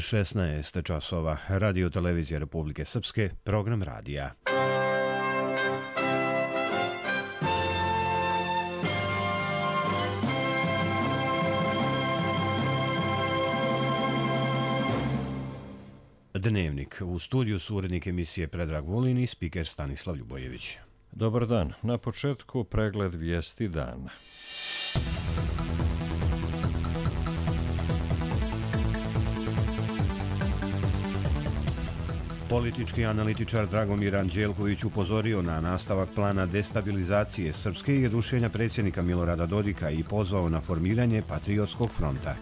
16 časova. Radio televizija Republike Srpske, program radija. Dnevnik. U studiju su urednik emisije Predrag Vulin i spiker Stanislav Ljubojević. Dobar dan. Na početku pregled vijesti dana. Politički analitičar Dragomir Anđelković upozorio na nastavak plana destabilizacije Srpske i rušenja predsjednika Milorada Dodika i pozvao na formiranje Patriotskog fronta.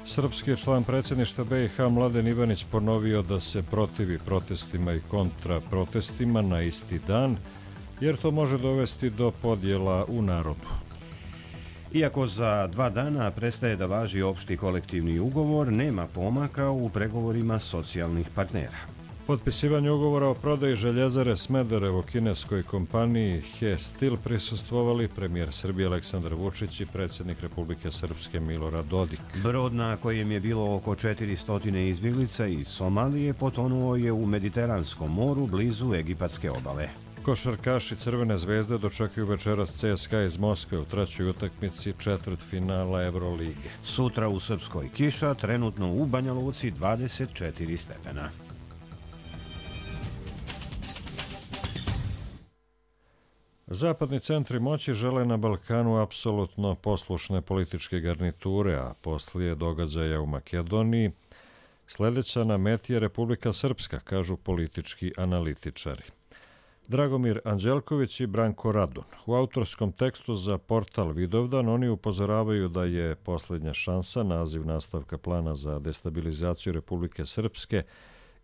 Srpski član predsjedništva BiH Mladen Ivanić ponovio da se protivi protestima i kontraprotestima na isti dan, jer to može dovesti do podjela u narodu. Iako za 2 dana prestaje da važi opšti kolektivni ugovor, nema pomaka u pregovorima socijalnih partnera. Potpisivanje ugovora o prodaji željezare Smederevo kineskoj kompaniji He Steel prisustvovali premijer Srbije Aleksandar Vučić i predsjednik Republike Srpske Milorad Dodik. Brod na kojem je bilo oko 400 izbjeglica iz Somalije potonuo je u Mediteranskom moru blizu egipatske obale. Košarkaši Crvene zvezde dočekuju večeras CSKA iz Moskve u trećoj utakmici četvrtfinala Evrolige. Sutra u Srpskoj kiša, trenutno u Banja Luci 24 stepena. Zapadni centri moći žele na Balkanu apsolutno poslušne političke garniture, a poslije događaja u Makedoniji sljedeća na meti je Republika Srpska, kažu politički analitičari. Dragomir Anđelković i Branko Radun. U autorskom tekstu za portal Vidovdan oni upozoravaju da je posljednja šansa naziv nastavka plana za destabilizaciju Republike Srpske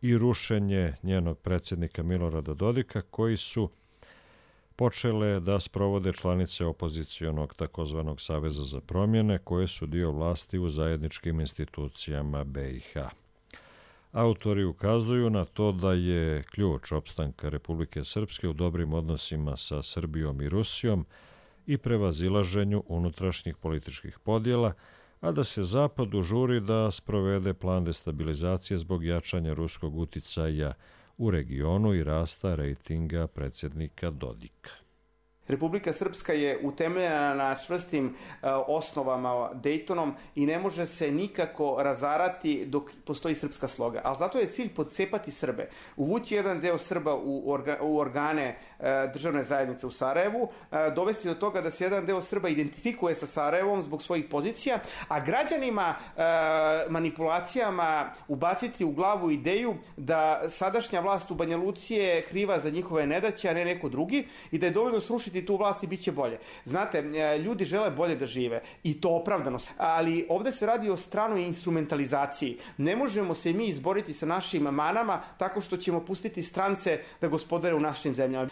i rušenje njenog predsjednika Milorada Dodika, koji su počele da sprovode članice opozicionog takozvanog Saveza za promjene, koje su dio vlasti u zajedničkim institucijama BiH. Autori ukazuju na to da je ključ opstanka Republike Srpske u dobrim odnosima sa Srbijom i Rusijom i prevazilaženju unutrašnjih političkih podjela, a da se Zapadu žuri da sprovede plan destabilizacije zbog jačanja ruskog uticaja u regionu i rasta rejtinga predsjednika Dodika. Republika Srpska je utemeljena na čvrstim osnovama Daytonom i ne može se nikako razarati dok postoji srpska sloga. Ali zato je cilj podcepati Srbe, uvući jedan deo Srba u organe državne zajednice u Sarajevu, dovesti do toga da se jedan deo Srba identifikuje sa Sarajevom zbog svojih pozicija, a građanima manipulacijama ubaciti u glavu ideju da sadašnja vlast u Banja Luci je kriva za njihove nedaće, a ne neko drugi, i da je dovoljno srušiti tu vlast i bit će bolje. Znate, ljudi žele bolje da žive i to opravdano, ali ovdje se radi o stranoj instrumentalizaciji. Ne možemo se mi izboriti sa našim manama tako što ćemo pustiti strance da gospodare u našim zemljama.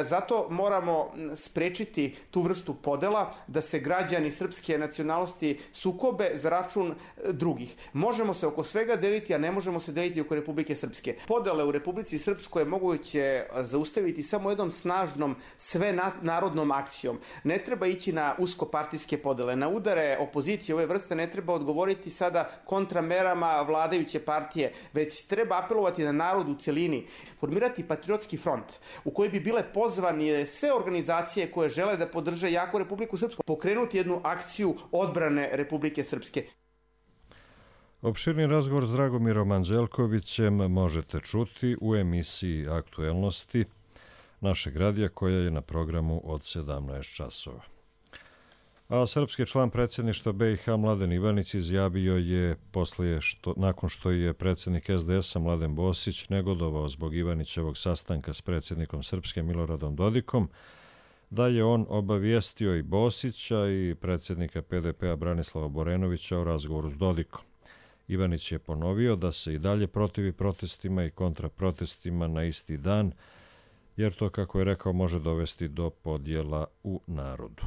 Zato moramo sprečiti tu vrstu podela, da se građani srpske nacionalnosti sukobe za račun drugih. Možemo se oko svega deliti, a ne možemo se deliti oko Republike Srpske. Podele u Republici Srpskoj je moguće zaustaviti samo jednom snažnom narodnom akcijom. Ne treba ići na uskopartijske podele. Na udare opozicije ove vrste ne treba odgovoriti sada kontramerama vladajuće partije, već treba apelovati na narod u cjelini. Formirati Patriotski front u koji bi bile pozvani sve organizacije koje žele da podrže jaku Republiku Srpsku. Pokrenuti jednu akciju odbrane Republike Srpske. Opširni razgovor s Dragomirom Anđelkovićem možete čuti u emisiji Aktuelnosti našeg radija, koja je na programu od 17 časova. A srpski član predsjedništva BiH Mladen Ivanić izjavio je nakon što je predsjednik SDS-a Mladen Bosić negodovao zbog Ivanićevog sastanka s predsjednikom Srpske Miloradom Dodikom, da je on obavijestio i Bosića i predsjednika PDP-a Branislava Borenovića o razgovoru s Dodikom. Ivanić je ponovio da se i dalje protivi protestima i kontraprotestima na isti dan, jer to, kako je rekao, može dovesti do podjela u narodu.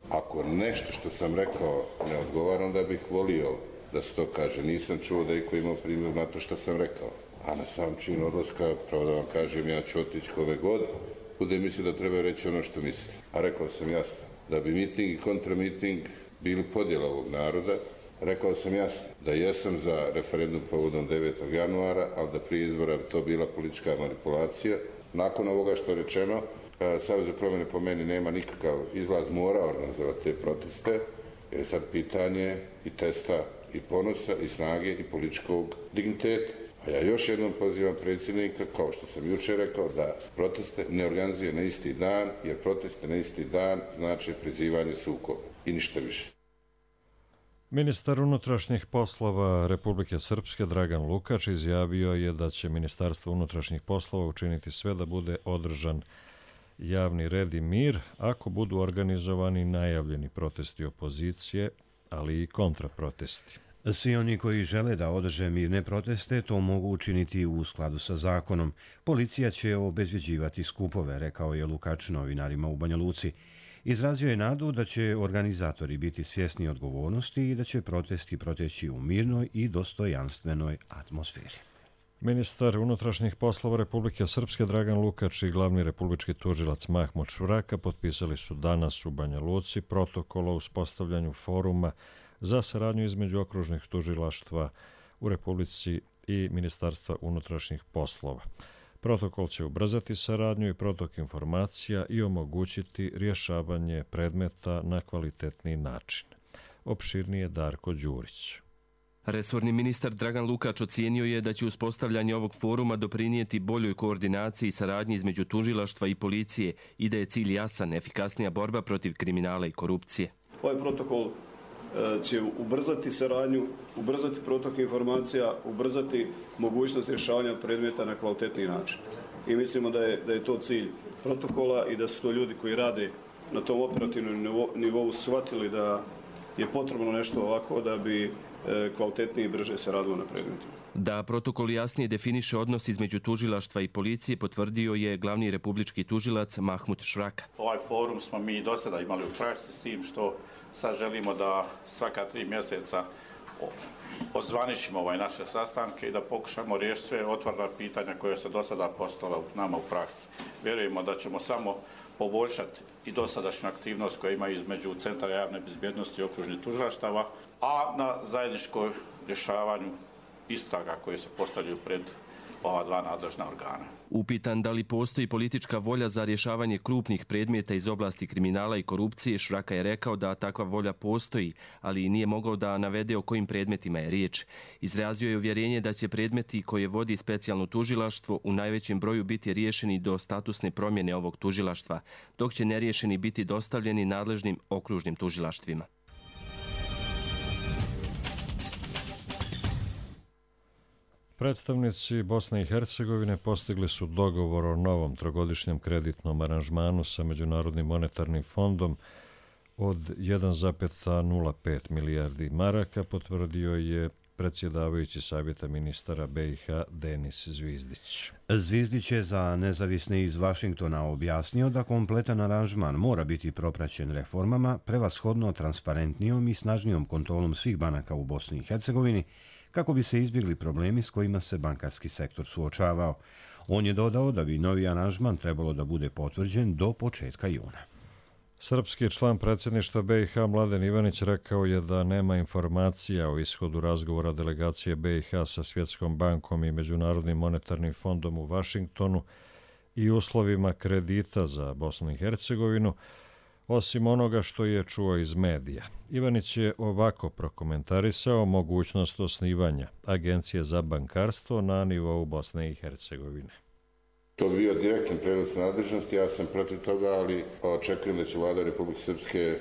Ako nešto što sam rekao ne odgovara, onda bih volio da se to kaže. Nisam čuo da iko imao primjer na to što sam rekao. A na sam čin odlaska, pravo da vam kažem, ja ću otići kome god bude misli da treba reći ono što misli. A rekao sam jasno, da bi miting i kontramiting bili podjela ovog naroda, Rekao sam jasno da jesam za referendum povodom 9. januara, ali da prije izbora bi to bila politička manipulacija. Nakon ovoga što je rečeno, Savez za promjene po meni nema nikakav izlaz, mora organizovati te proteste, jer je sad pitanje i testa i ponosa i snage i političkog digniteta. A ja još jednom pozivam predsjednika, kao što sam jučer rekao, da proteste ne organizuje na isti dan, jer proteste na isti dan znači prizivanje sukoba i ništa više. Ministar unutrašnjih poslova Republike Srpske Dragan Lukač izjavio je da će Ministarstvo unutrašnjih poslova učiniti sve da bude održan javni red i mir ako budu organizovani najavljeni protesti opozicije, ali i kontraprotesti. Svi oni koji žele da održe mirne proteste to mogu učiniti u skladu sa zakonom. Policija će obezbeđivati skupove, rekao je Lukač novinarima u Banja Luci. Izrazio je nadu da će organizatori biti svjesni odgovornosti i da će protesti proteći u mirnoj i dostojanstvenoj atmosferi. Ministar unutrašnjih poslova Republike Srpske Dragan Lukač i glavni republički tužilac Mahmut Švraka potpisali su danas u Banja Luci protokol o uspostavljanju foruma za saradnju između okružnih tužilaštva u Republici i Ministarstva unutrašnjih poslova. Protokol će ubrzati saradnju i protok informacija i omogućiti rješavanje predmeta na kvalitetniji način. Opširnije Darko Đurić. Resorni ministar Dragan Lukač ocijenio je da će uspostavljanje ovog foruma doprinijeti boljoj koordinaciji i saradnji između tužilaštva i policije i da je cilj jasan, efikasnija borba protiv kriminala i korupcije. Ovaj protokol će ubrzati saradnju, ubrzati protok informacija, ubrzati mogućnost rješavanja predmeta na kvalitetniji način. I mislimo da je to cilj protokola i da su to ljudi koji rade na tom operativnom nivou shvatili da je potrebno nešto ovako da bi kvalitetnije i brže se radilo na predmetima. Da protokol jasnije definiše odnos između tužilaštva i policije potvrdio je glavni republički tužilac Mahmut Švraka. Ovaj forum smo mi do sada imali u praksi s tim što sad želimo da svaka 3 mjeseca ozvaničimo naše sastanke i da pokušamo riješiti sve otvorena pitanja koje se do sada postala nama u praksi. Vjerujemo da ćemo samo poboljšati i dosadašnju aktivnost koju ima između Centra javne bezbjednosti i okružnih tužilaštava, a na zajedničkom rješavanju istraga koje se postavljaju pred ova dva nadležna organa. Upitan da li postoji politička volja za rješavanje krupnih predmeta iz oblasti kriminala i korupcije, Švraka je rekao da takva volja postoji, ali nije mogao da navede o kojim predmetima je riječ. Izrazio je uvjerenje da će predmeti koje vodi specijalno tužilaštvo u najvećem broju biti riješeni do statusne promjene ovog tužilaštva, dok će neriješeni biti dostavljeni nadležnim okružnim tužilaštvima. Predstavnici Bosne i Hercegovine postigli su dogovor o novom trogodišnjem kreditnom aranžmanu sa Međunarodnim monetarnim fondom od 1,05 milijardi maraka, potvrdio je predsjedavajući savjeta ministara BiH Denis Zvizdić. Zvizdić je za nezavisne iz Vašingtona objasnio da kompletan aranžman mora biti propraćen reformama, prevashodno transparentnijom i snažnijom kontrolom svih banaka u Bosni i Hercegovini, kako bi se izbjegli problemi s kojima se bankarski sektor suočavao. On je dodao da bi novi aranžman trebalo da bude potvrđen do početka juna. Srpski član predsjedništva BiH Mladen Ivanić rekao je da nema informacija o ishodu razgovora delegacije BiH sa Svjetskom bankom i Međunarodnim monetarnim fondom u Vašingtonu i uslovima kredita za Bosnu i Hercegovinu, osim onoga što je čuo iz medija. Ivanić je ovako prokomentarisao mogućnost osnivanja Agencije za bankarstvo na nivou Bosne i Hercegovine. To bi bio direktan prijenos nadležnosti, ja sam protiv toga, ali očekujem da će vlada Republike Srpske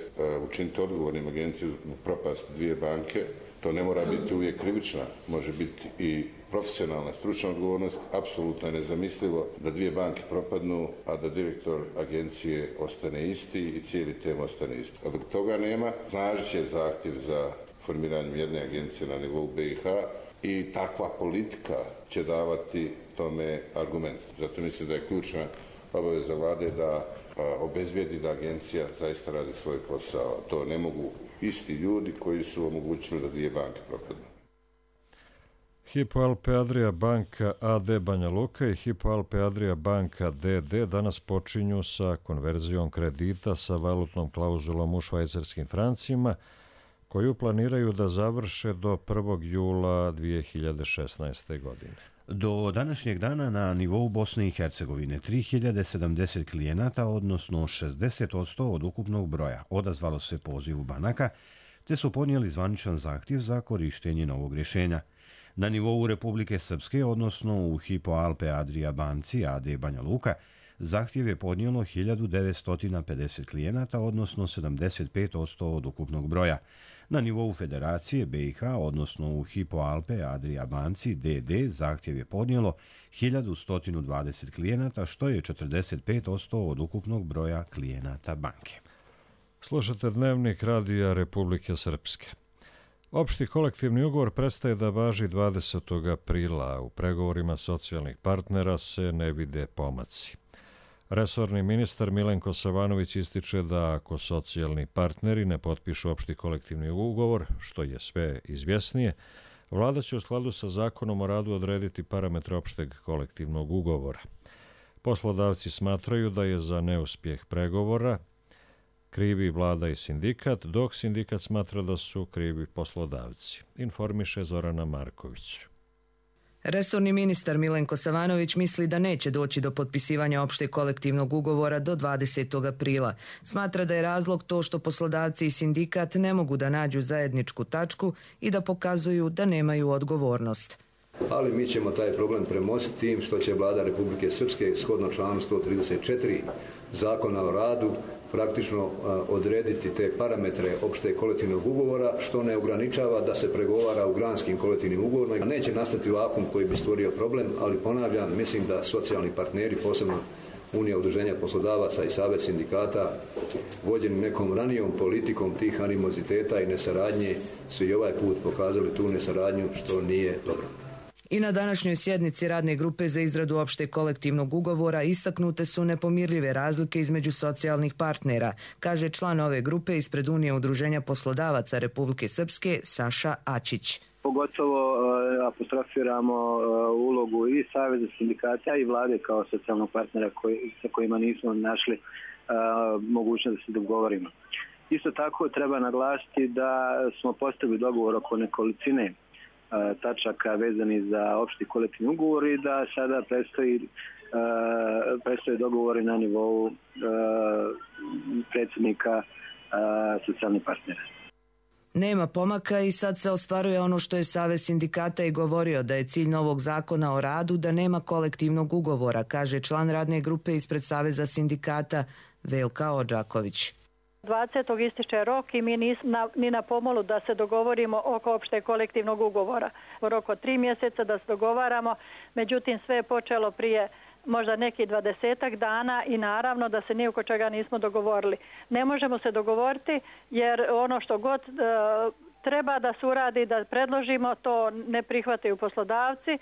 učiniti odgovornim agenciju u propast dvije banke. To ne mora biti uvijek krivična, može biti i profesionalna, stručna odgovornost. Apsolutno je nezamislivo da dvije banke propadnu, a da direktor agencije ostane isti i cijeli tem ostane isti. A dok toga nema, snažit će zahtjev za formiranjem jedne agencije na nivou BiH i takva politika će davati tome argument. Zato mislim da je ključna obaveza vlade da obezbijedi da agencija zaista radi svoj posao. To ne mogu isti ljudi koji su omogućili da dvije banke propadnu. Hypo Alpe Adria banka AD Banja Luka i Hypo Alpe Adria banka DD danas počinju sa konverzijom kredita sa valutnom klauzulom u švajcarskim francima, koju planiraju da završe do 1. jula 2016. godine. Do današnjeg dana na nivou Bosne i Hercegovine 3070 klijenata, odnosno 60% od ukupnog broja, odazvalo se pozivu banaka, te su podnijeli zvaničan zahtjev za korištenje novog rješenja. Na nivou Republike Srpske, odnosno u Hypo Alpe Adria banci AD Banja Luka, zahtjev je podnijelo 1950 klijenata, odnosno 75% od ukupnog broja. Na nivou Federacije BiH, odnosno u Hypo Alpe Adria banci DD, zahtjev je podnijelo 1120 klijenata, što je 45% od ukupnog broja klijenata banke. Slušate Dnevnik Radija Republike Srpske. Opšti kolektivni ugovor prestaje da važi 20. aprila, a u pregovorima socijalnih partnera se ne vide pomaci. Resorni ministar Milenko Savanović ističe da ako socijalni partneri ne potpišu opšti kolektivni ugovor, što je sve izvjesnije, vlada će u skladu sa zakonom o radu odrediti parametre opšteg kolektivnog ugovora. Poslodavci smatraju da je za neuspjeh pregovora krivi vlada i sindikat, dok sindikat smatra da su krivi poslodavci, informiše Zorana Marković. Resorni ministar Milenko Savanović misli da neće doći do potpisivanja opšteg kolektivnog ugovora do 20. aprila. Smatra da je razlog to što poslodavci i sindikat ne mogu da nađu zajedničku tačku i da pokazuju da nemaju odgovornost. Ali mi ćemo taj problem premostiti tim što će vlada Republike Srpske shodno članu 134 Zakona o radu praktično odrediti te parametre opšteg kolektivnog ugovora, što ne ograničava da se pregovara u granskim kolektivnim ugovorima. Neće nastati vakuum koji bi stvorio problem, ali ponavljam, mislim da socijalni partneri, posebno Unija udruženja poslodavaca i Savez sindikata, vođeni nekom ranijom politikom tih animoziteta i nesaradnje, su i ovaj put pokazali tu nesaradnju, što nije dobro. I na današnjoj sjednici radne grupe za izradu opšteg kolektivnog ugovora istaknute su nepomirljive razlike između socijalnih partnera, kaže član ove grupe ispred Unije udruženja poslodavaca Republike Srpske Saša Ačić. Pogotovo apostrofiramo ulogu i Saveza sindikata i vlade kao socijalnog partnera sa kojima nismo našli mogućnost da se dogovorimo. Isto tako treba naglasiti da smo postavili dogovor oko nekolicine tačaka vezani za opšti kolektivni ugovor i da sada predstoje dogovori na nivou predsjednika socijalnih partnera. Nema pomaka i sad se ostvaruje ono što je Savez sindikata i govorio, da je cilj novog zakona o radu da nema kolektivnog ugovora, kaže član radne grupe ispred Saveza sindikata Velka Odžaković. 20. ističe rok i mi nismo ni na pomolu da se dogovorimo oko opšteg kolektivnog ugovora. U roku 3 mjeseca da se dogovaramo, međutim sve je počelo prije možda nekih 20 dana i naravno da se ni oko čega nismo dogovorili. Ne možemo se dogovoriti jer ono što god treba da se uradi, da predložimo, to ne prihvataju poslodavci.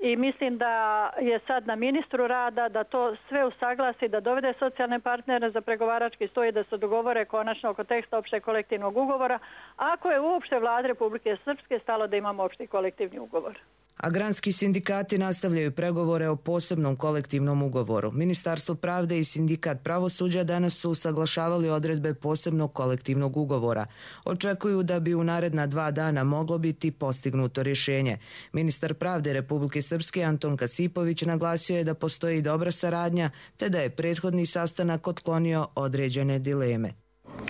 I mislim da je sad na ministru rada da to sve usaglasi, da dovede socijalne partnere za pregovarački stol i da se dogovore konačno oko teksta opšteg kolektivnog ugovora, ako je uopšte vlada Republike Srpske stalo da imamo opšti kolektivni ugovor. Agranski sindikati nastavljaju pregovore o posebnom kolektivnom ugovoru. Ministarstvo pravde i sindikat pravosuđa danas su usaglašavali odredbe posebnog kolektivnog ugovora. Očekuju da bi u naredna 2 dana moglo biti postignuto rješenje. Ministar pravde Republike Srpske Anton Kasipović naglasio je da postoji dobra saradnja te da je prethodni sastanak otklonio određene dileme.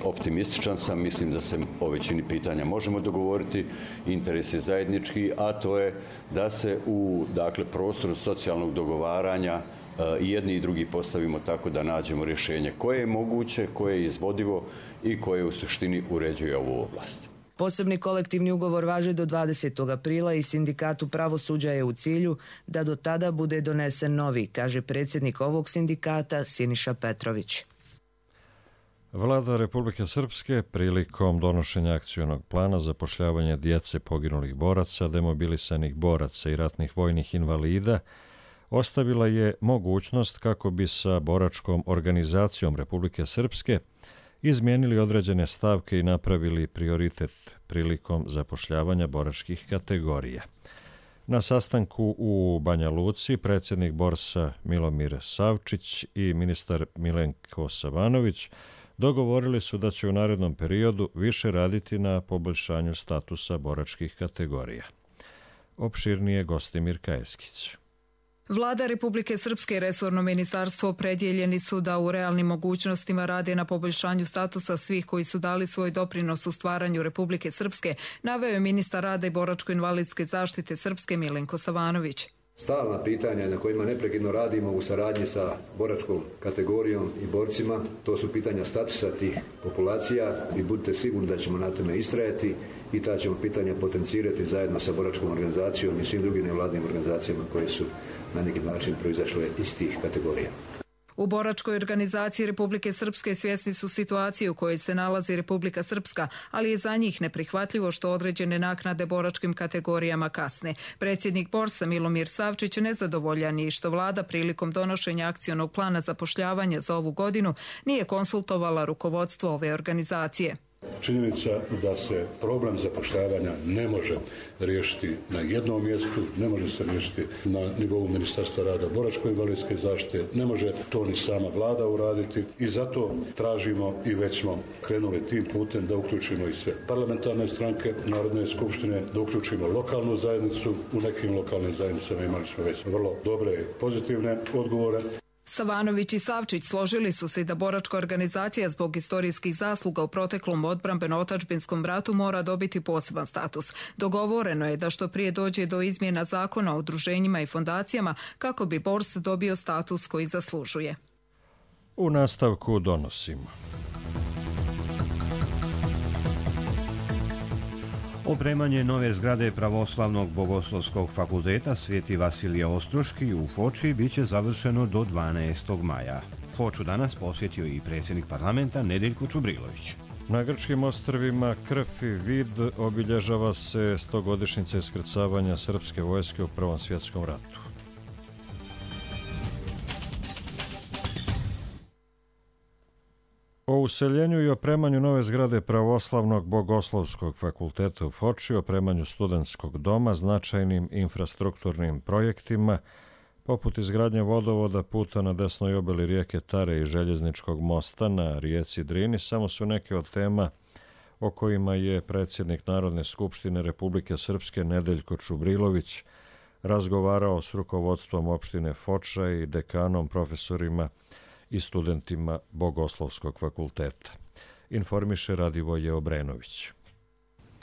Optimističan sam, mislim da se o većini pitanja možemo dogovoriti, interes je zajednički, a to je da se u prostoru socijalnog dogovaranja i jedni i drugi postavimo tako da nađemo rješenje koje je moguće, koje je izvodivo i koje u suštini uređuje ovu oblast. Posebni kolektivni ugovor važi do 20. aprila i sindikatu pravosuđa je u cilju da do tada bude donesen novi, kaže predsjednik ovog sindikata Siniša Petrović. Vlada Republike Srpske prilikom donošenja akcionog plana zapošljavanja djece poginulih boraca, demobilisanih boraca i ratnih vojnih invalida ostavila je mogućnost kako bi sa boračkom organizacijom Republike Srpske izmijenili određene stavke i napravili prioritet prilikom zapošljavanja boračkih kategorija. Na sastanku u Banja Luci predsjednik Borsa Milomir Savčić i ministar Milenko Savanović dogovorili su da će u narednom periodu više raditi na poboljšanju statusa boračkih kategorija. Opširnije Gostimir Kajeskić. Vlada Republike Srpske i resorno ministarstvo opredjeljeni su da u realnim mogućnostima rade na poboljšanju statusa svih koji su dali svoj doprinos u stvaranju Republike Srpske, naveo je ministar rada i boračko-invalidske zaštite Srpske Milenko Savanović. Stalna pitanja na kojima neprekidno radimo u saradnji sa boračkom kategorijom i borcima, to su pitanja statusa tih populacija i budite sigurni da ćemo na tome istrajati i ta ćemo pitanja potencirati zajedno sa boračkom organizacijom i svim drugim nevladnim organizacijama koje su na neki način proizašle iz tih kategorija. U boračkoj organizaciji Republike Srpske svjesni su situacije u kojoj se nalazi Republika Srpska, ali je za njih neprihvatljivo što određene naknade boračkim kategorijama kasne. Predsjednik Borsa Milomir Savčić nezadovoljan je što vlada prilikom donošenja akcionog plana zapošljavanja za ovu godinu nije konsultovala rukovodstvo ove organizacije. Činjenica da se problem zapošljavanja ne može riješiti na jednom mjestu, ne može se riješiti na nivou Ministarstva rada boračko-invalidske zaštite, ne može to ni sama vlada uraditi i zato tražimo i već smo krenuli tim putem da uključimo i sve parlamentarne stranke Narodne skupštine, da uključimo lokalnu zajednicu. U nekim lokalnim zajednicama imali smo već vrlo dobre i pozitivne odgovore. Savanović i Savčić složili su se da boračka organizacija zbog istorijskih zasluga u proteklom odbrambeno-otadžbinskom ratu mora dobiti poseban status. Dogovoreno je da što prije dođe do izmjena zakona o udruženjima i fondacijama kako bi Bors dobio status koji zaslužuje. U nastavku donosimo. Opremanje nove zgrade Pravoslavnog bogoslovskog fakulteta Sveti Vasilije Ostroški u Foči biće završeno do 12. maja. Foču danas posjetio i predsjednik parlamenta Nedeljko Čubrilović. Na grčkim ostrvima Krf i Vid obilježava se 100-godišnjica iskrcavanja srpske vojske u Prvom svjetskom ratu. O useljenju i opremanju nove zgrade Pravoslavnog bogoslovskog fakulteta u Foči, opremanju studentskog doma, značajnim infrastrukturnim projektima, poput izgradnje vodovoda, puta na desnoj obali rijeke Tare i željezničkog mosta na rijeci Drini, samo su neke od tema o kojima je predsjednik Narodne skupštine Republike Srpske Nedeljko Čubrilović razgovarao s rukovodstvom opštine Foča i dekanom, profesorima i studentima Bogoslovskog fakulteta. Informiše Radivoje Obrenović.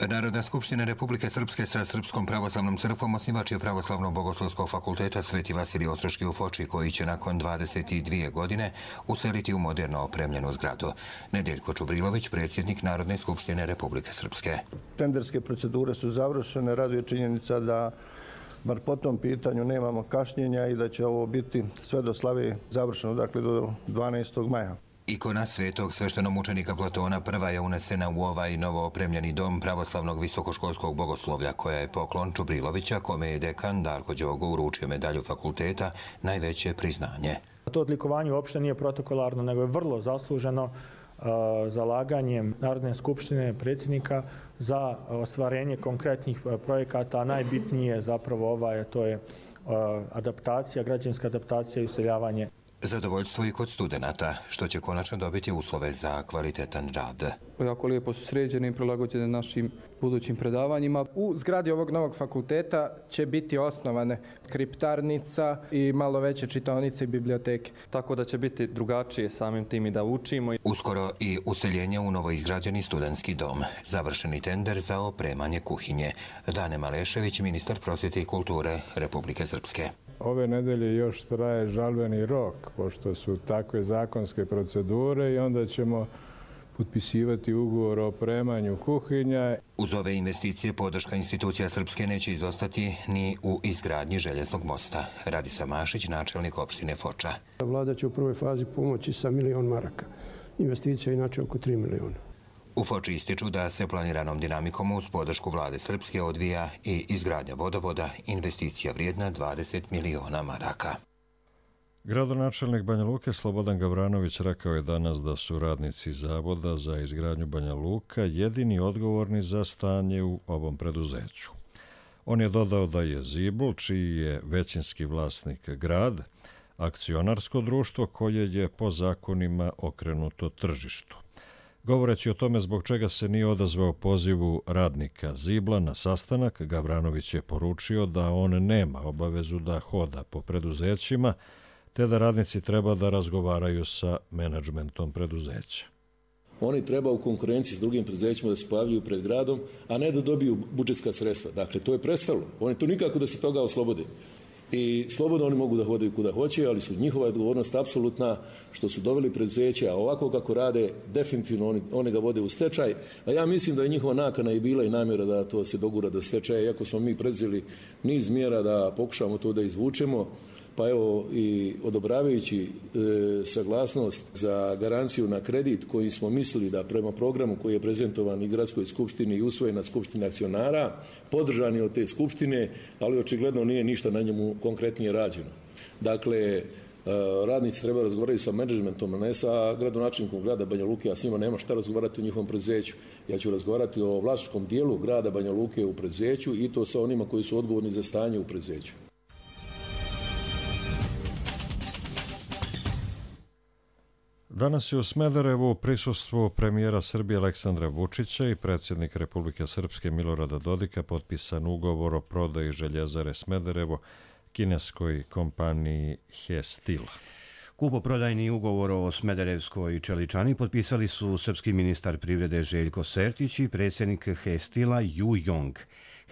Narodna skupština Republike Srpske sa Srpskom pravoslavnom crkvom osnivač je Pravoslavnog bogoslovskog fakulteta Sveti Vasilije Ostroški u Foči, koji će nakon 22 godine useliti u moderno opremljenu zgradu. Nedeljko Čubrilović, predsjednik Narodne skupštine Republike Srpske. Tenderske procedure su završene, raduje činjenica da bar po tom pitanju nemamo kašnjenja i da će ovo biti sve do slave završeno, dakle do 12. maja. Ikona svetog sveštenomučenika Platona prva je unesena u ovaj novo opremljeni dom pravoslavnog visokoškolskog bogoslovlja, koja je poklon Čubrilovića, kome je dekan Darko Đogo uručio medalju fakulteta, najveće priznanje. To odlikovanje uopšte nije protokolarno, nego je vrlo zasluženo zalaganjem Narodne skupštine predsjednika za ostvarenje konkretnih projekata, a najbitnije je zapravo to je adaptacija, građanska adaptacija i useljavanje. Zadovoljstvo i kod studenata, što će konačno dobiti uslove za kvalitetan rad. Jako lijepo su sređene i prilagođene našim budućim predavanjima. U zgradi ovog novog fakulteta će biti osnovane skriptarnica i malo veće čitaonice i biblioteke. Tako da će biti drugačije samim tim i da učimo. Uskoro i useljenje u novoizgrađeni studentski dom. Završeni tender za opremanje kuhinje. Dane Malešević, ministar prosvjete i kulture Republike Srpske. Ove nedelje još traje žalbeni rok, pošto su takve zakonske procedure, i onda ćemo potpisivati ugovor o opremanju kuhinja. Uz ove investicije podrška institucija Srpske neće izostati ni u izgradnji željeznog mosta. Radisa Mašić, načelnik opštine Foča. Vlada će u prvoj fazi pomoći sa 1 milion maraka. Investicija je inače oko 3 miliona. U Foči ističu da se planiranom dinamikom uz podršku vlade Srpske odvija i izgradnja vodovoda, investicija vrijedna 20 miliona maraka. Gradonačelnik Banja Luke Slobodan Gavranović rekao je danas da su radnici Zavoda za izgradnju Banja Luka jedini odgovorni za stanje u ovom preduzeću. On je dodao da je Zibul, čiji je većinski vlasnik grad, akcionarsko društvo koje je po zakonima okrenuto tržištu. Govoreći o tome zbog čega se nije odazvao pozivu radnika Zibla na sastanak, Gavranović je poručio da on nema obavezu da hoda po preduzećima, te da radnici treba da razgovaraju sa menadžmentom preduzeća. Oni treba u konkurenciji s drugim preduzećima da se pojavljuju pred gradom, a ne da dobiju budžetska sredstva. Dakle, to je prestalo. Oni to nikako da se toga oslobode. I slobodno oni mogu da hodaju kuda hoće, ali su njihova odgovornost apsolutna što su doveli preduzeće, a ovako kako rade, definitivno oni ga vode u stečaj. A ja mislim da je njihova nakana i bila i namjera da to se dogura do stečaja, iako smo mi predzeli niz mjera da pokušamo to da izvučemo. Pa evo i odobravajući saglasnost za garanciju na kredit koji smo mislili da prema programu koji je prezentovan i Gradskoj skupštini i usvojen na skupštini akcionara, podržani od te skupštine, ali očigledno nije ništa na njemu konkretnije rađeno. Dakle, radnici treba razgovarati sa menadžmentom, a ne sa gradonačelnikom grada Banja Luke, a s njima nema šta razgovarati o njihovom preduzeću. Ja ću razgovarati o vlasničkom dijelu grada Banja Luke u preduzeću i to sa onima koji su odgovorni za stanje u preduzeću. Danas je u Smederevu prisustvu premijera Srbije Aleksandra Vučića i predsjednika Republike Srpske Milorada Dodika potpisan ugovor o prodaji Željezare Smederevo kineskoj kompaniji He-Steel. Kupoprodajni ugovor o Smederevskoj čeličani potpisali su srpski ministar privrede Željko Sertić i predsjednik He-Steela Ju Jong.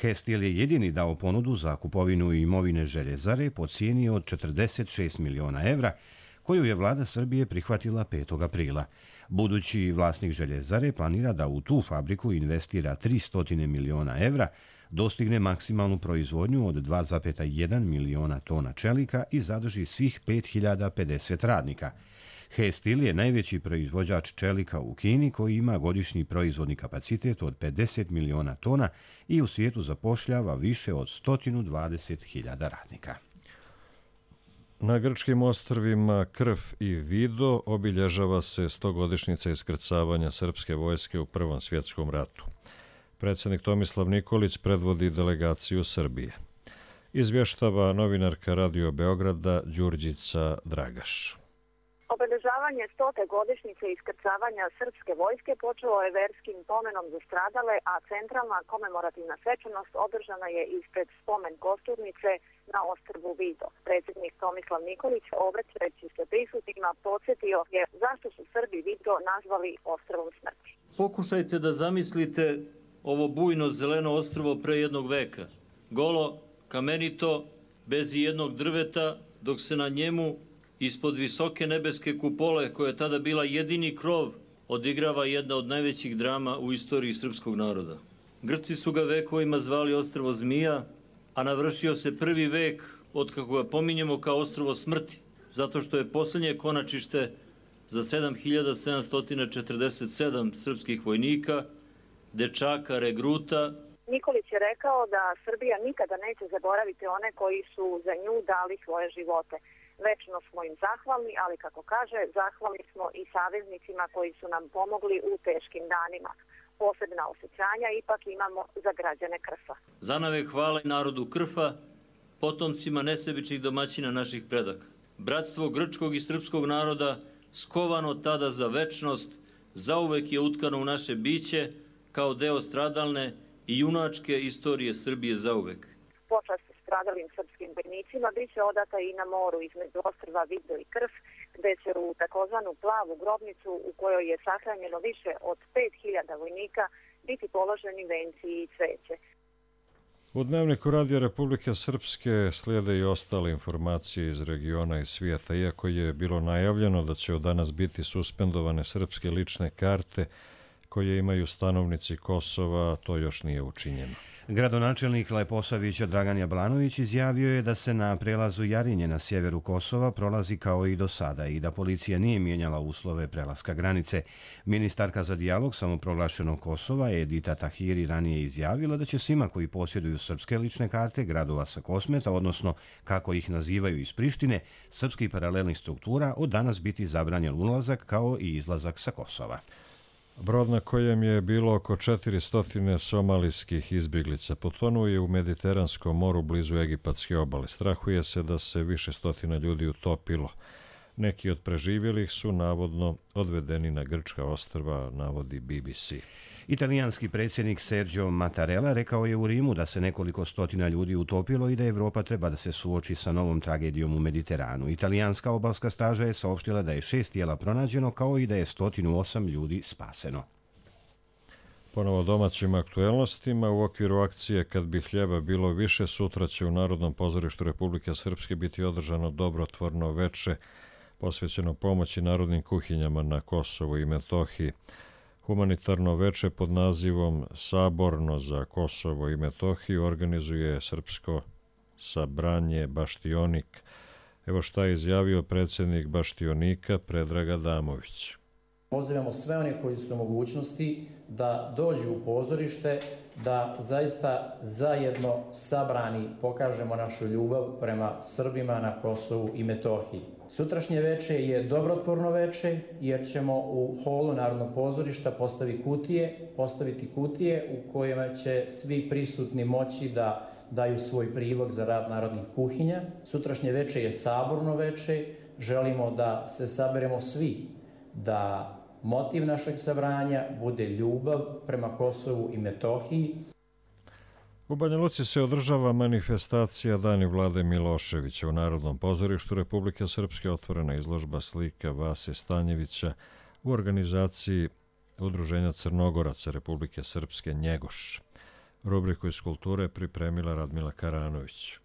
He-Steel je jedini dao ponudu za kupovinu imovine Željezare po cijeni od 46 miliona evra, koju je vlada Srbije prihvatila 5. aprila. Budući vlasnik Željezare planira da u tu fabriku investira 300 miliona evra, dostigne maksimalnu proizvodnju od 2,1 miliona tona čelika i zadrži svih 5050 radnika. He-Steel je najveći proizvođač čelika u Kini koji ima godišnji proizvodni kapacitet od 50 miliona tona i u svijetu zapošljava više od 120.000 radnika. Na grčkim ostrvima Krf i Vido obilježava se 100-godišnjica iskrcavanja srpske vojske u Prvom svjetskom ratu. Predsjednik Tomislav Nikolić predvodi delegaciju Srbije. Izvještava novinarka Radio Beograda Đurđica Dragaš. Obeležavanje 100. godišnjice iskrcavanja srpske vojske počelo je verskim pomenom za stradale, a centralna komemorativna svečanost održana je ispred spomen kosturnice na ostrvu Vido. Predsjednik Tomislav Nikolić, obraćajući se prisutnima, podsjetio je zašto su Srbi Vido nazvali ostrvom smrti. Pokušajte da zamislite ovo bujno zeleno ostrvo pre jednog veka. Golo, kamenito, bez jednog drveta, dok se na njemu ispod visoke nebeske kupole, koja je tada bila jedini krov, odigrava jedna od najvećih drama u istoriji srpskog naroda. Grci su ga vekovima zvali ostrvo zmija, a navršio se prvi vek od kako ga pominjemo kao ostrvo smrti, zato što je posljednje konačište za 7747 srpskih vojnika, dečaka, regruta. Nikolić je rekao da Srbija nikada neće zaboraviti one koji su za nju dali svoje živote. Večno smo im zahvalni, ali kako kaže, zahvalni smo i saveznicima koji su nam pomogli u teškim danima. Posebna osjećanja ipak imamo za građane Krfa. Zanave hvala narodu Krfa, potomcima nesebičnih domaćina naših predaka. Bratstvo grčkog i srpskog naroda, skovano tada za večnost, zauvek je utkano u naše biće kao deo stradalne i junačke istorije Srbije zauvek. Počast stradalim srpskim vojnicima biće odata i na moru između ostrva Vido i Krf, gde će u takozvanu plavu grobnicu u kojoj je sahranjeno više od 5000 vojnika biti položeni venci i cveće. U Dnevniku Radio Republike Srpske slijede i ostale informacije iz regiona i svijeta. Iako je bilo najavljeno da će od danas biti suspendovane srpske lične karte koje imaju stanovnici Kosova, to još nije učinjeno. Gradonačelnik Leposavića Dragan Jablanović izjavio je da se na prelazu Jarinje na sjeveru Kosova prolazi kao i do sada i da policija nije mijenjala uslove prelaska granice. Ministarka za dijalog samoproglašenog Kosova Edita Tahiri ranije izjavila da će svima koji posjeduju srpske lične karte gradova sa Kosmeta, odnosno kako ih nazivaju iz Prištine, srpskih paralelnih struktura, od danas biti zabranjen ulazak kao i izlazak sa Kosova. Brod na kojem je bilo oko 400 somalijskih izbjeglica potonuo je u Mediteranskom moru blizu egipatske obale. Strahuje se da se više stotina ljudi utopilo. Neki od preživjelih su navodno odvedeni na grčka ostrva, navodi BBC. Italijanski predsjednik Sergio Mattarella rekao je u Rimu da se nekoliko stotina ljudi utopilo i da Europa treba da se suoči sa novom tragedijom u Mediteranu. Italijanska obalska straža je saopštila da je 6 tijela pronađeno, kao i da je 108 ljudi spaseno. Ponovo domaćim aktuelnostima u okviru akcije Kad bi hljeba bilo više, sutra će u Narodnom pozorištu Republike Srpske biti održano dobrotvorno veče posvećeno pomoći narodnim kuhinjama na Kosovu i Metohiji. Humanitarno veče pod nazivom Saborno za Kosovo i Metohiju organizuje Srpsko sabranje Baštionik. Evo šta je izjavio predsjednik Baštionika Predrag Adamović. Pozivamo sve one koji su u mogućnosti da dođu u pozorište, da zaista zajedno sabrani pokažemo našu ljubav prema Srbima na Kosovu i Metohiji. Sutrašnje veče je dobrotvorno veče jer ćemo u holu Narodnog pozorišta postaviti kutije u kojima će svi prisutni moći da daju svoj prilog za rad narodnih kuhinja. Sutrašnje veče je saborno veče, želimo da se saberemo svi, da motiv našeg sabranja bude ljubav prema Kosovu i Metohiji. U Banja Luci se održava manifestacija Dani Vlade Miloševića. U Narodnom pozorištu Republike Srpske otvorena izložba slika Vase Stanjevića u organizaciji Udruženja Crnogoraca Republike Srpske Njegoš. Rubriku iz kulture pripremila Radmila Karanović.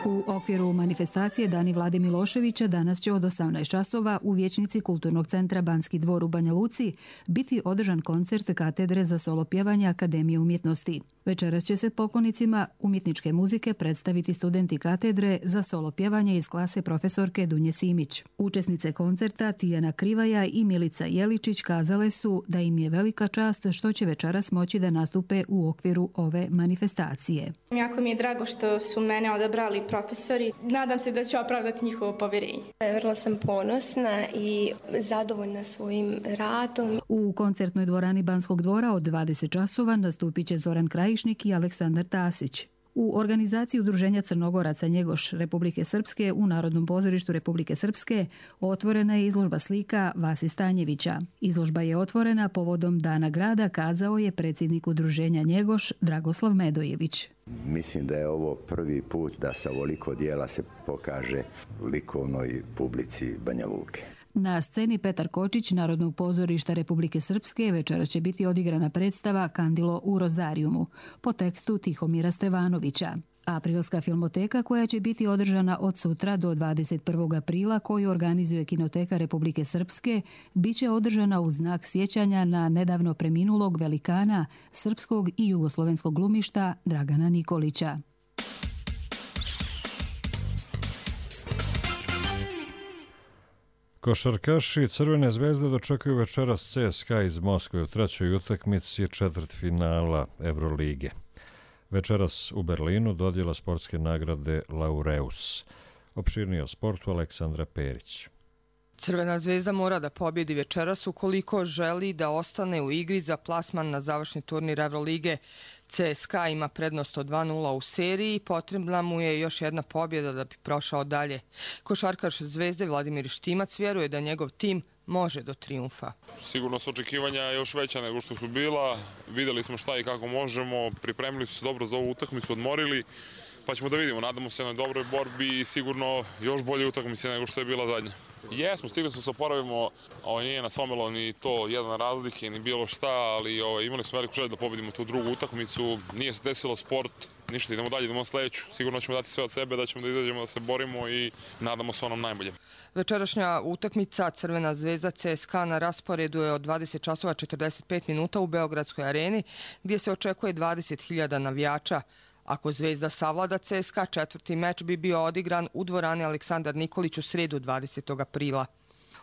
U okviru manifestacije Dani Vlade Miloševića danas će od 18 časova u vijećnici Kulturnog centra Banski dvor u Banja Luci biti održan koncert katedre za solopjevanje Akademije umjetnosti. Večeras će se poklonicima umjetničke muzike predstaviti studenti katedre za solopjevanje iz klase profesorke Dunje Simić. Učesnice koncerta Tijana Krivaja i Milica Jeličić kazale su da im je velika čast što će večeras moći da nastupe u okviru ove manifestacije. Jako mi je drago što su mene odabrali profesori. Nadam se da ću opravdati njihovo povjerenje. Vrlo sam ponosna i zadovoljna svojim radom. U koncertnoj dvorani Banskog dvora od 20 časova nastupit će Zoran Krajišnik i Aleksandar Tasić. U organizaciji Udruženja Crnogoraca Njegoš Republike Srpske u Narodnom pozorištu Republike Srpske otvorena je izložba slika Vasi Stanjevića. Izložba je otvorena povodom Dana grada, kazao je predsjednik Udruženja Njegoš Dragoslav Medojević. Mislim da je ovo prvi put da sa ovoliko dijela se pokaže likovnoj publici Banja Luke. Na sceni Petar Kočić Narodnog pozorišta Republike Srpske večera će biti odigrana predstava Kandilo u Rozarijumu po tekstu Tihomira Stevanovića. Aprilska filmoteka koja će biti održana od sutra do 21. aprila koju organizuje Kinoteka Republike Srpske bit će održana u znak sjećanja na nedavno preminulog velikana srpskog i jugoslovenskog glumišta Dragana Nikolića. Košarkaši Crvene zvezde dočekuju večeras CSKA iz Moskve u trećoj utakmici četvrtfinala Evrolige. Večeras u Berlinu dodjela sportske nagrade Laureus. Opširnije o sportu Aleksandra Perić. Crvena zvezda mora da pobjedi večeras ukoliko želi da ostane u igri za plasman na završni turnir Evrolige. CSKA ima prednost od 2:0 u seriji i potrebna mu je još jedna pobjeda da bi prošao dalje. Košarkaš Zvezde Vladimir Štimac vjeruje da njegov tim može do trijumfa. Sigurno su očekivanja još veća nego što su bila. Vidjeli smo šta i kako možemo, pripremili su se dobro za ovu utakmicu, odmorili, pa ćemo da vidimo. Nadamo se na dobroj borbi i sigurno još bolje utakmice nego što je bila zadnja. Jesmo, stigli smo se oporavimo, nije nas omelo ni to jedan razlike, ni bilo šta, ali imali smo veliku želju da pobedimo tu drugu utakmicu. Nije se desilo sport, ništa, idemo dalje, idemo sledeću. Sigurno ćemo dati sve od sebe, da ćemo da izađemo, da se borimo i nadamo se onom najboljem. Večerašnja utakmica Crvena zvezda CSKA na rasporedu je od 20 časova 45 minuta u Beogradskoj areni, gdje se očekuje 20.000 navijača. Ako Zvezda savlada CSKA, četvrti meč bi bio odigran u dvorani Aleksandar Nikolić u sredu 20. aprila.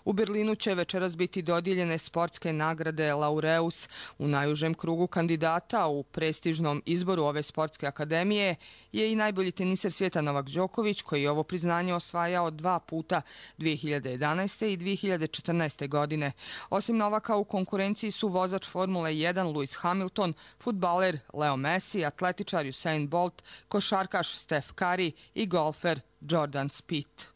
U Berlinu će večeras biti dodijeljene sportske nagrade Laureus. U najužem krugu kandidata u prestižnom izboru ove sportske akademije je i najbolji teniser svijeta Novak Đoković, koji je ovo priznanje osvajao 2 puta 2011. i 2014. godine. Osim Novaka u konkurenciji su vozač Formule 1 Lewis Hamilton, fudbaler Leo Messi, atletičar Usain Bolt, košarkaš Steph Curry i golfer Jordan Spieth.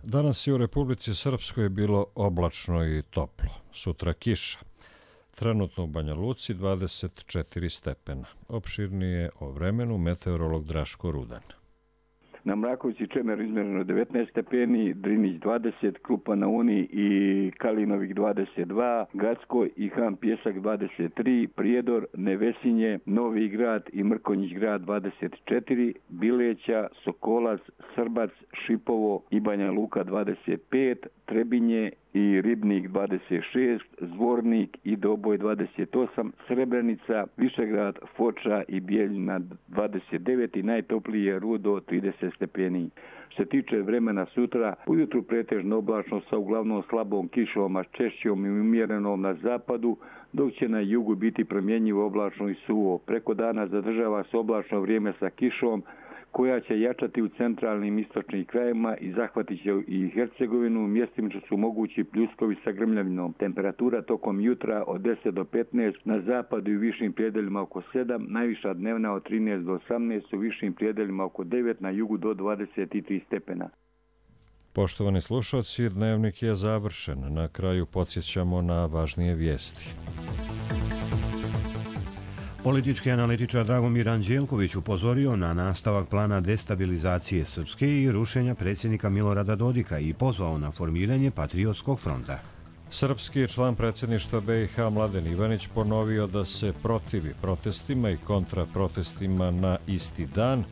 Danas je u Republici Srpskoj bilo oblačno i toplo. Sutra kiša. Trenutno u Banja Luci 24 stepena. Opširnije o vremenu meteorolog Draško Rudan. Na Mrakovici Čemer izmjereno 19 stepeni, Drinić 20, Krupa na Uni i Kalinovik 22, Gacko i Han Pjesak 23, Prijedor, Nevesinje, Novi Grad i Mrkonjić grad 24, Bileća, Sokolac, Srbac, Šipovo i Banja Luka 25, Trebinje i Ribnik 26, Zvornik i Doboj 28, Srebrenica, Višegrad, Foča i Bijeljina 29 i najtoplije Rudo 30 stepeni. Što se tiče vremena sutra, ujutru pretežno oblačno sa uglavnom slabom kišom, a češćom i umjerenom na zapadu, dok će na jugu biti promjenjivo oblačno i suvo. Preko dana zadržava se oblačno vrijeme sa kišom, koja će jačati u centralnim istočnim krajevima i zahvatit će i Hercegovinu, mjestimično su mogući pljuskovi sa grmljavinom. Temperatura tokom jutra od 10 do 15, na zapadu i u višim prijedeljima oko 7, najviša dnevna od 13 do 18, u višim prijedeljima oko 9, na jugu do 23 stepena. Poštovani slušalci, dnevnik je završen. Na kraju podsjećamo na važnije vijesti. Politički analitičar Dragomir Anđelković upozorio na nastavak plana destabilizacije Srpske i rušenja predsjednika Milorada Dodika i pozvao na formiranje Patriotskog fronta. Srpski član predsjedništva BiH Mladen Ivanić ponovio da se protivi protestima i kontraprotestima na isti dan,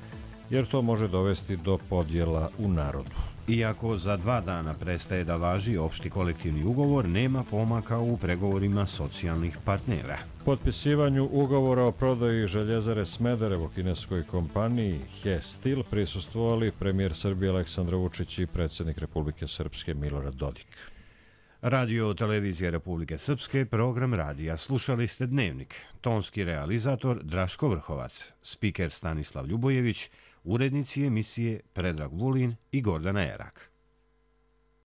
jer to može dovesti do podjela u narodu. Iako za 2 dana prestaje da važi opšti kolektivni ugovor, nema pomaka u pregovorima socijalnih partnera. Potpisivanju ugovora o prodaji Željezare Smederevo kineskoj kompaniji He Steel prisustvovali premijer Srbije Aleksandar Vučić i predsjednik Republike Srpske Milorad Dodik. Radio televizija Republike Srpske, program radija. Slušali ste Dnevnik. Tonski realizator Draško Vrhovac, spiker Stanislav Ljubojević, urednici emisije Predrag Vulin i Gordana Erak.